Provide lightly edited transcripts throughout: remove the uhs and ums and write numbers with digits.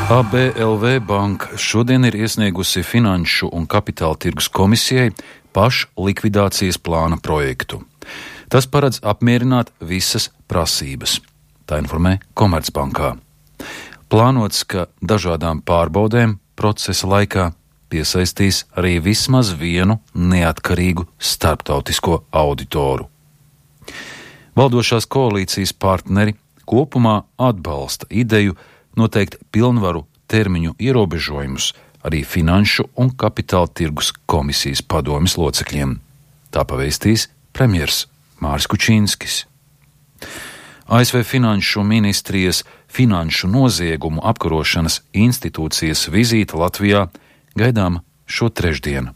ABLV banka šodien ir iesniegusi Finanšu un Kapitāla tirgus komisijai pašlikvidācijas plāna projektu. Tas paredz apmierināt visas prasības. Tā informē Komercbankā. Plānots, ka dažādām pārbaudēm procesa laikā piesaistīs arī vismaz vienu neatkarīgu starptautisko auditoru. Valdošās koalīcijas partneri kopumā atbalsta ideju noteikt pilnvaru termiņu ierobežojumus arī Finanšu un Kapitāla tirgus komisijas padomes locekļiem. Tā pavēstīs premjers Māris Kučīnskis. ASV Finanšu ministrijas Finanšu noziegumu apkarošanas institūcijas vizīte Latvijā gaidām šo trešdienu.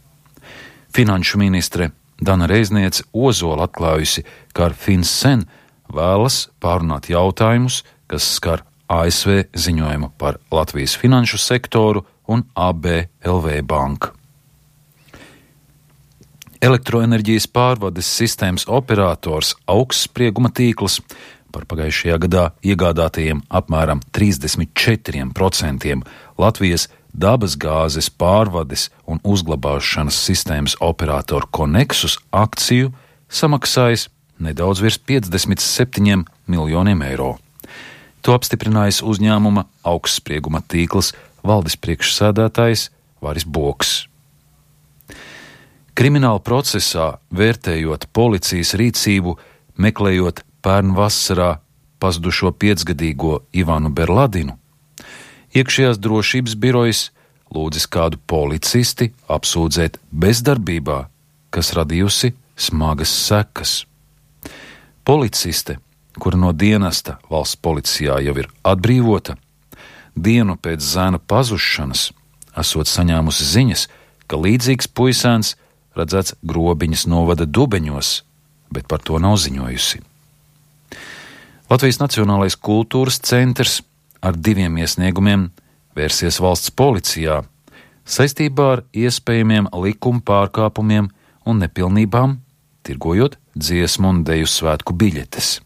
Finanšu ministre Dana Reizniece Ozola atklājusi, ka ar FinCEN vēlas pārunāt jautājumus, kas skar ASV ziņojumu par Latvijas finanšu sektoru un ABLV banku. Elektroenerģijas pārvades sistēmas operators Augstsprieguma tīkls par pagājušajā gadā iegādātajiem apmēram 34% Latvijas dabasgāzes pārvades un uzglabāšanas sistēmas operatoru Konexus akciju samaksājis nedaudz virs 57 miljoniem eiro. To apstiprinājis uzņēmuma Augstsprieguma tīkls valdes priekšsēdētājs Varis Boks. Krimināla procesā, vērtējot policijas rīcību, meklējot pērn vasarā pazudušo 5-gadīgo Ivanu Berladinu, iekšējās drošības birojas lūdzis kādu policisti apsūdzēt bezdarbībā, kas radījusi smagas sekas. Policiste, kura no dienesta valsts policijā jau ir atbrīvota, dienu pēc zēna pazušanas esot saņēmusi ziņas, ka līdzīgs puisēns redzēts Grobiņas novada Dubeņos, bet par to nav ziņojusi. Latvijas Nacionālais kultūras centrs ar 2 iesniegumiem vērsies valsts policijā saistībā ar iespējamiem likuma pārkāpumiem un nepilnībām, tirgojot dziesmu un deju svētku biļetes.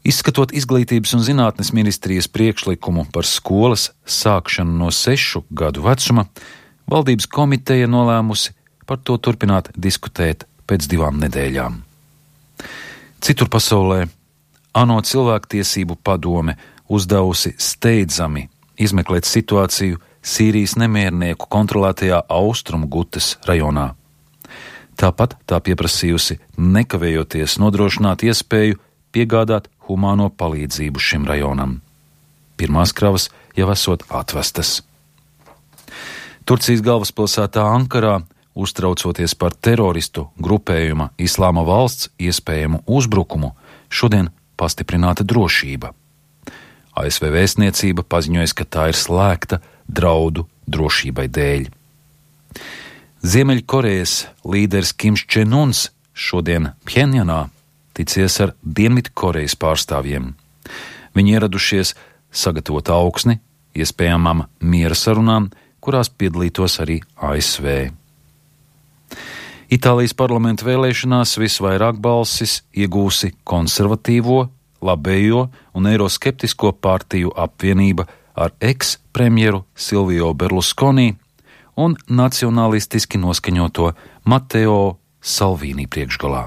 Izskatot Izglītības un zinātnes ministrijas priekšlikumu par skolas sākšanu no 6 gadu vecuma, valdības komiteja nolēmusi par to turpināt diskutēt pēc 2 nedēļām. Citur pasaulē ANO cilvēktiesību padome uzdevusi steidzami izmeklēt situāciju Sīrijas nemiernieku kontrolētajā Austrumu Gutes rajonā. Tāpat tā pieprasījusi nekavējoties nodrošināt iespēju piegādāt humāno palīdzību šim rajonam. Pirmās kravas jau esot atvestas. Turcijas galvaspilsētā Ankarā, uztraucoties par teroristu grupējuma Islāma valsts iespējamu uzbrukumu, šodien pastiprināta drošība. ASV vēstniecība paziņojas, ka tā ir slēgta draudu drošībai dēļ. Ziemeļkorejas līderis Kims Čen-uns šodien Pjenjanā ticies ar Dienvidkorejas pārstāvjiem. Viņi ieradušies sagatavot augsni iespējamām miera sarunām, kurās piedalītos arī ASV. Itālijas parlamenta vēlēšanās visvairāk balsis iegūsi konservatīvo, labējo un eiroskeptisko partiju apvienība ar eks-premjeru Silvio Berlusconi un nacionalistiski noskaņoto Matteo Salvini priekšgalā.